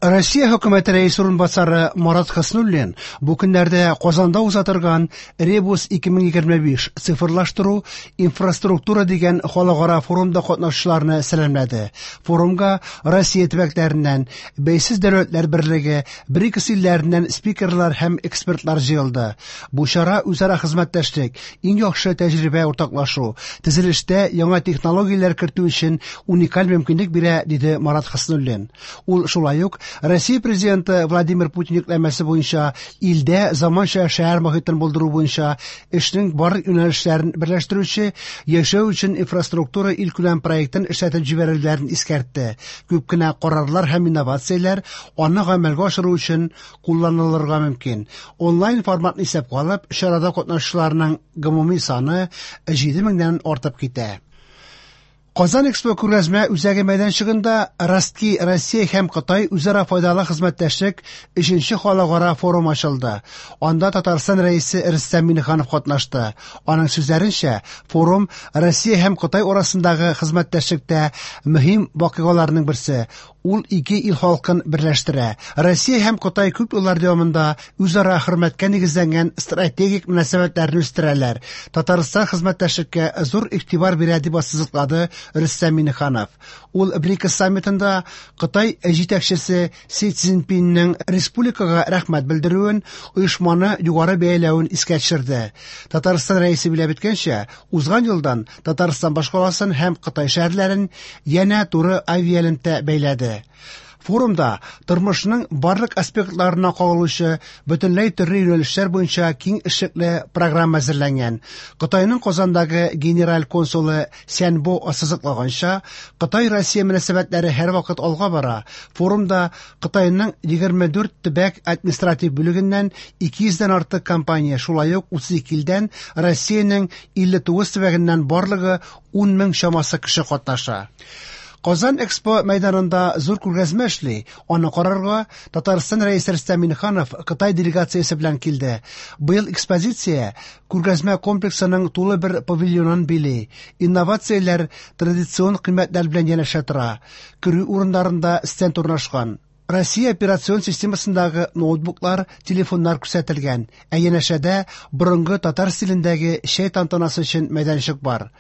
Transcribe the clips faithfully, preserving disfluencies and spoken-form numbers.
Россия хөкүмәте рәисе урынбасары Марат Хөснуллин бу көннәрдә Казанда уза торган Ребус ике мең егерме биш цифрлаштыру инфраструктура дигән халыкара форумда катнашучыларны сәламләде. Форумга Россия төбәкләреннән, Бәйсез дәүләтләр берлеге, БРИКС илләреннән спикерлар һәм экспертлар җыелды. Бу чара үзара хезмәттәшлек, иң яхшы тәҗрибә уртаклашу, төзелештә яңа технологияләр кертү өчен уникаль мөмкинлек бирә, диде Марат Хөснуллин. Ул шулай ук Россия президенты Владимир Путин йөкләмәсе буенча илдә заманча шәһәр мохитен булдыру буенча эшнең барлык юнәлешләрен берләштерүче яшәү өчен инфраструктура илкүләм проектын эшләтеп җибәрүләрен искәртте. Күп кенә карарлар һәм инновацияләр аны гамәлгә ашыру өчен кулланылырга мөмкин. Онлайн форматны исәпкә алып, чарада катнашучыларның гомуми саны җиде меңнән артып китә. Казан Экспо күргәзмә үзәге мәйданчыгында Ростки, Россия һәм Кытай үзара файдалы хезмәттәшлек өченче халыкара форум ачылды. Анда Татарстан рәисе Рөстәм Миңнеханов катнашты. Аның сүзләренчә, форум Россия һәм Кытай арасындагы хезмәттәшлектә мөһим вакыйгаларның берсе. Ул ике ил халкын берләштерә. Россия һәм Кытай күп еллар дәвамында үзара хөрмәткә нигезләнгән стратегик мөнәсәбәтләрне үстерәләр. Татарстан хезмәттәшлеккә зур игътибар бирә, дип ассызыклады Рөстәм Миңнеханов. Ул БРИКС саммитында Кытай җитәкчесе Си Цзиньпиннең республикага рәхмәт белдерүен, оешманы югары бәяләвен искә төшерде. Татарстан рәисе билгеләп үткәнчә, узган елдан Татарстан башкаласын һәм Кытай шәһәрләрен янә туры авиалемтә бәйләде. Форумда тормышның барлык аспектларына кагылучы бөтенләй төрле юнәлешләр буенча киң эшлекле программа әзерләнгән. Кытайның Казандагы генераль консулы Сянбо ассызыклаганча, Кытай-Россия мөнәсәбәтләре һәрвакыт алга бара. Форумда Кытайның егерме дүрт төбәк административ бүлегеннән ике йөздән артык компания, шулай ук утыз ике илдән Россиянең илле тугыз төбәгеннән барлыгы ун мең чамасы кеше катнаша. Казан Экспо мәйданында зур күргәзмә эшли. Аны карарга Татарстан рәисе Рөстәм Миңнеханов Кытай делегациясе белән килде. Быел экспозиция күргәзмә комплексының тулы бер павильонын били. Инновацияләр традицион кыйммәтләр белән янәшә тора. Керү урыннарында стенд урнашкан. Россия операцион системасындагы ноутбуклар, телефоннар күрсәтелгән. Ә янәшәдә борынгы татар стилендәге чәй тантанасы өчен мәйданчык бар.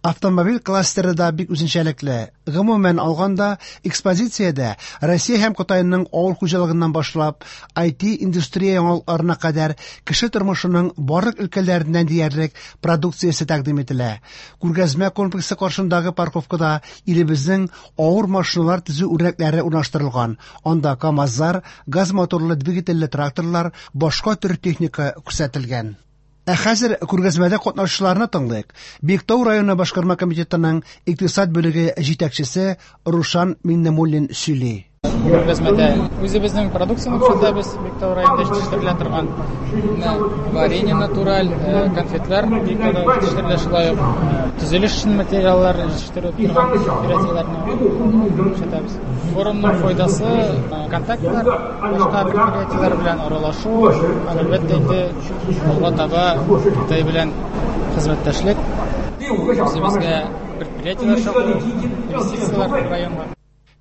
Автомобиль кластеры да бик үзенчәлекле. Гомумән алганда, экспозициядә Россия һәм Кытайның авыл хуҗалыгыннан башлап, ай ти индустрия яңалыкларына кадәр кеше тормышының барлык өлкәләреннән диярлек продукциясе тәкъдим ителә. Күргәзмә комплексы каршындагы парковкада илебезнең авыр машиналар төзү үрнәкләре урнаштырылган. Анда КАМАЗлар, газ моторлы двигательле тракторлар, башка төр техника күрсәтелгән. Ә хәзер күргәзмәдә катнашучыларны тыңлыйк. Биектау районы башкарма комитетының икътисад бүлеге җитәкчесе Рушан Миңнемуллин сөйли. Күргәзмәдә үзебезнең продукцияне күрсәтәбез. Биектау районында җитештерелә торган варенье натураль, э, конфетлар Биектауда җитештерелә, шулай ук төзелеш өчен материаллар җитештерү торган предприятиеләрне күрсәтәбез. Форумның файдасы, э, контактлар, башка предприятиеләр белән аралашу, һәм әлбәттә инде алга таба Кытай белән хезмәттәшлек, үзебезгә предприятиеләр чакыру, инвестицияләр районга.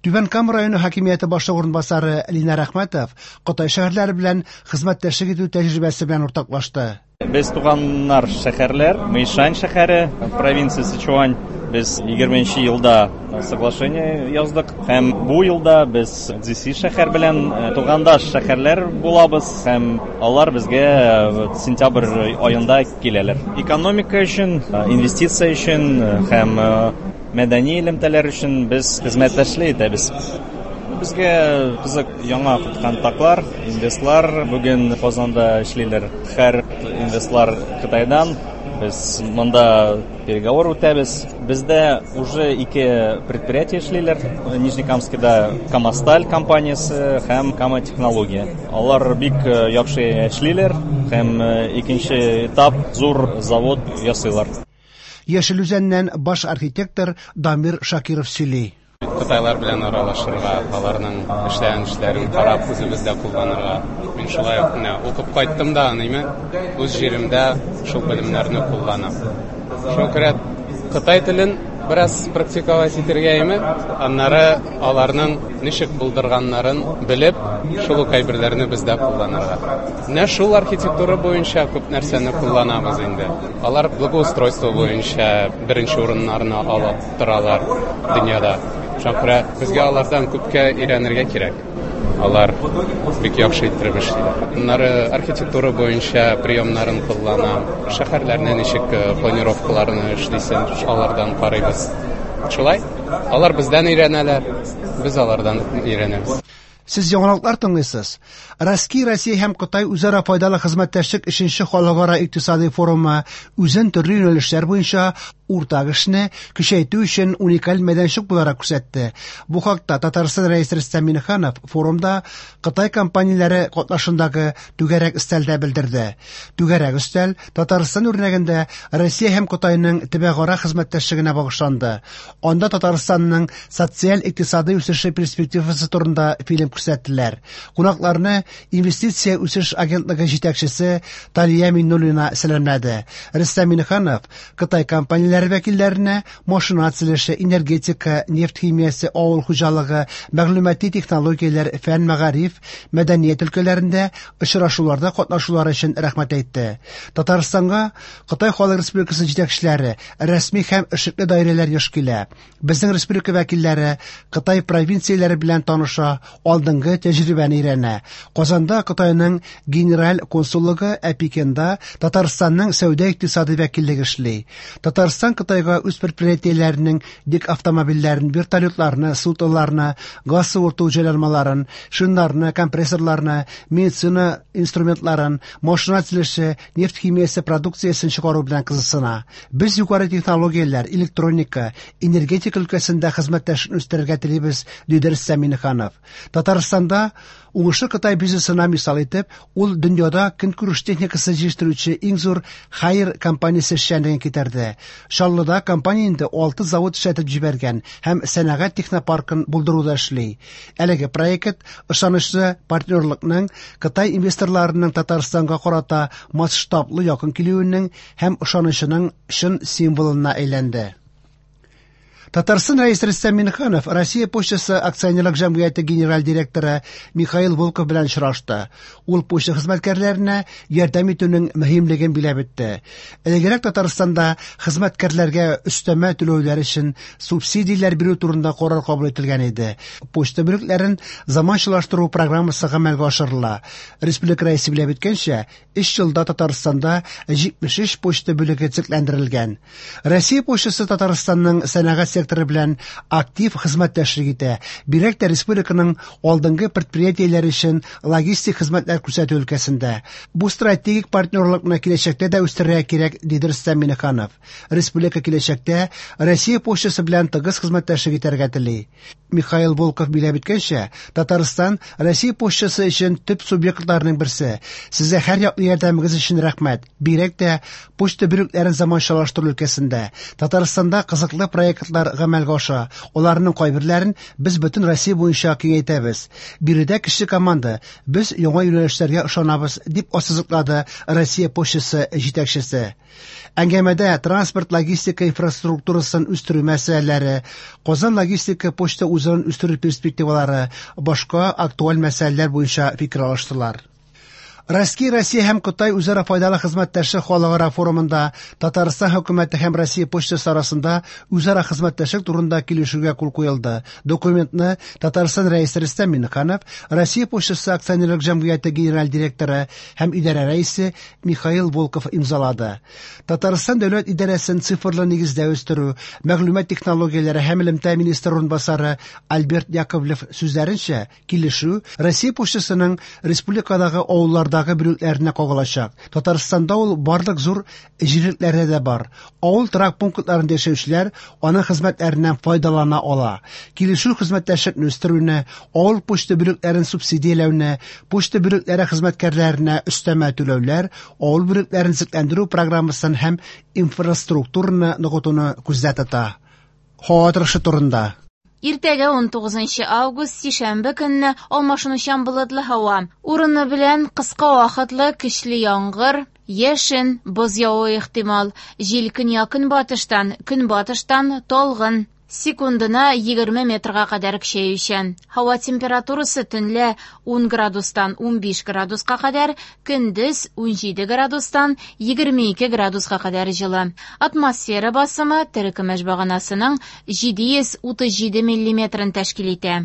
Түбән Кама районы хакимияте башлыгы урынбасары Линар Әхмәтов Кытай шәһәрләре белән хезмәттәшлек итү тәҗрибәсе белән уртаклашты. Без туганнар шәһәрләр, Мэйшань шәһәре, провинция Сычуань. Без егерменче елда соглашение яздык һәм бу елда без Цзиси шәһәр белән, э, тугандаш шәһәрләр булабыз һәм алар безгә, э, сентябрь аенда киләләр. Экономика өчен, э, инвестиция өчен, э, һәм, э, мәдәни элемтәләр өчен без хезмәттәшлек итәбез. Безгә кызык яңа контактлар, инвестлар бүген Казанда эшлиләр. Һәр инвестлар Кытайдан. Без монда переговор үтәбез. Бездә уже ике предприятие эшлиләр. Нижнекамскида Камасталь компаниясе һәм Кама технология. Алар бик, э, яхшы эшлиләр һәм, э, икенче этап зур завод ясыйлар. Яшел Үзәннән баш архитектор Дамир Шакиров сөйли. Кытайлар белән аралашырга, аларның эшләгән эшләрен карап үзебездә кулланырга. Мин шулай ук менә укып кайттым да, ниме, үз җиремдә шул белемнәрне кулланам. Шуңа күрә Кытай телен Бераз практиковать итәргә име, аннары аларның ничек булдырганнарын белеп, шул ук әйберләрне бездә кулланырга. Менә шул архитектура буенча күп нәрсәне кулланабыз инде. Алар благоустройство буенча беренче урыннарны алып торалар дөньяда. Шуңа күрә безгә алардан күпкә өйрәнергә кирәк. Алар бик яхшы иттереп эшлиләр. Аннары архитектура буенча приемнарын куллана, шәһәрләрне ничек планировкаларны эшлисен, алардан карыйбыз. Шулай, алар бездән өйрәнәләр, без алардан өйрәнәбез. Сез яңалыклар тыңлыйсыз. Россия, Россия һәм Кытай үзара файдалы хезмәттәшлек өченче халыкара икътисади форумы үзен төрле юнәлешләр буенча уртак эшне көчәйтү өчен уникаль мәйданчык буларак күрсәтте. Бу хакта Татарстан Рәисе Рөстәм Миңнеханов форумда Кытай компанияләре катнашындагы түгәрәк өстәлдә белдерде. Түгәрәк өстәл Татарстан үрнәгендә Россия һәм Кытайның төбәкара хезмәттәшлегенә багышланды. Анда Татарстанның социаль-икътисади үсеше перспективасы турында фильм күрсәттеләр. Кунакларны Инвестиция үсеш агентлыгы җитәкчесе Талия Миннуллина сәламләде. Рөстәм Миңнеханов Кытай компанияләре вәкилләренә машина төзелеше, энергетика, нефть химиясе, авыл хуҗалыгы, мәгълүмати технологияләр, фән, мәгариф, мәдәният өлкәләрендә очрашуларда катнашулары өчен рәхмәт әйтте. Татарстанга Кытай Халык Республикасы җитәкчеләре, рәсми һәм эшлекле даирәләр еш килә. Безнең республика вәкилләре Кытай провинцияләре белән таныша, алдынгы тәҗрибәне өйрәнә. Казанда Кытайның генераль консуллыгы, ә Пекинда Татарстанның сәүдә-икътисади вәкиллеге эшли. Татарстан Кытайга үз предприятиеләренең йөк автомобильләрен, вертолетларны, судноларны, газ суырту җайланмаларын, шиннарны, компрессорларны, медицина инструментларын, машина төзелеше, нефть химиясе продукциясен чыгару белән кызыксына. Без югары технологияләр, электроника, энергетика өлкәсендә хезмәттәшлекне үстерергә телибез, диде Рөстәм Миңнеханов. Татарстанда уңышлы Кытай бизнесына мисал итеп, ул дөньяда көнкүреш техникасы җитештерүче иң зур Haier компаниясе эшчәнлеген китерде. Чаллыда компания инде алты завод эшләтеп җибәргән һәм сәнәгать технопаркын булдыруда эшли. Әлеге проект ышанычлы партнерлыкның Кытай инвесторларының Татарстанга карата масштаблы якын килүенең һәм ышанычының чын символына әйләнде. Татарстан Рәисе Рөстәм Миңнеханов Россия почтасы акционерлык җәмгыяте генераль директоры Михаил Волков белән очрашты. Ул почта хезмәткәрләренә ярдәм итүнең мөһимлеген биләп үтте. Элегрәк Татарстанда хезмәткәрләргә өстәмә түләүләр өчен субсидияләр бирү турында карар кабул ителгән иде. Почта бүлекләрен заманчалаштыру программасы гамәлгә ашырыла. Республика Рәисе биләп үткәнчә, өч елда Татарстанда җитмеш өч почта бүлеге төзекләндерелгән. Россия почтасы Татарстанның сәнәгать секторы белән актив хезмәттәшлек итә. Бигрәк тә республиканың алдынгы предприятиеләре өчен логистик хезмәтләр күрсәтү өлкәсендә. Бу стратегик партнерлыкны киләчәктә дә үстерергә кирәк, диде Рөстәм Миңнеханов. Республика киләчәктә Россия почтасы белән тыгыз хезмәттәшлек итәргә тели. Михаил Волков биләп үткәнчә, Татарстан Россия почтасы өчен төп субъектларның берсе. Сезгә һәр яклы ярдәмегез өчен рәхмәт. Бигрәк тә почта бүлекләрен заманчалаштыру өлкәсендә. Татарстанда кызыклы проектлар гамәлгә аша. Аларның кайберләрен без бөтен Россия буенча киңәйтәбез. Биредә кече команда, без яңа юнәлешләргә ышанабыз, дип ассызыклады Россия почтасы җитәкчесе. Әңгәмәдә транспорт логистика инфраструктурасын үстерү мәсьәләләре, Казан логистика почта узелын үстерү перспективалары, башка актуаль мәсьәләләр буенча фикер алыштылар. Россия, Россия һәм Кытай үзара файдалы хезмәттәшлек халыкара форумында Татарстан хөкүмәте һәм Россия почтасы арасында үзара хезмәттәшлек турында килешүгә кул куелды. Документны Татарстан Рәисе Рөстәм Миңнеханов, Россия почтасы акционерлык җәмгыяте генераль директоры һәм идарә рәисе Михаил Волков имзалады. Татарстан дәүләт идарәсен цифрлы нигездә үстерү, мәгълүмат технологияләре һәм элемтә министры урынбасары Альберт Яковлев сүзләренчә, килешү Россия почтасының республикадагы авылларда бүлекләренә кагылачак. Татарстанда ул барлык зур җирлекләрдә дә бар. Авыл торак пунктларында яшәүчеләр аның хезмәтләреннән файдалана ала. Килешү хезмәттәшлекне үстерүне, авыл почта бүлекләрен субсидияләүне, почта бүлекләре хезмәткәрләренә өстәмә түләүләр, авыл бүлекләрен төзекләндерү программасын һәм инфраструктураны ныгытуны күздә тота. Һава торышы турында. Иртәгә унтугызынчы август, сишәмбе көнне алмашынучан болытлы һава. Урыны белән кыска вакытлы көчле яңгыр, яшен, боз явуы ихтимал. Җил көньяк-көнбатыштан, көнбатыштан талгын. Секундына егерме метрга кадәр көчәючән. Һава температурасы төнлә ун градустан унбиш градуска кадәр, көндез унҗиде градустан егерме ике градуска кадәр җылы. Атмосфера басымы терекөмеш баганасының җиде йөз утыз җиде миллиметрын тәшкил итә.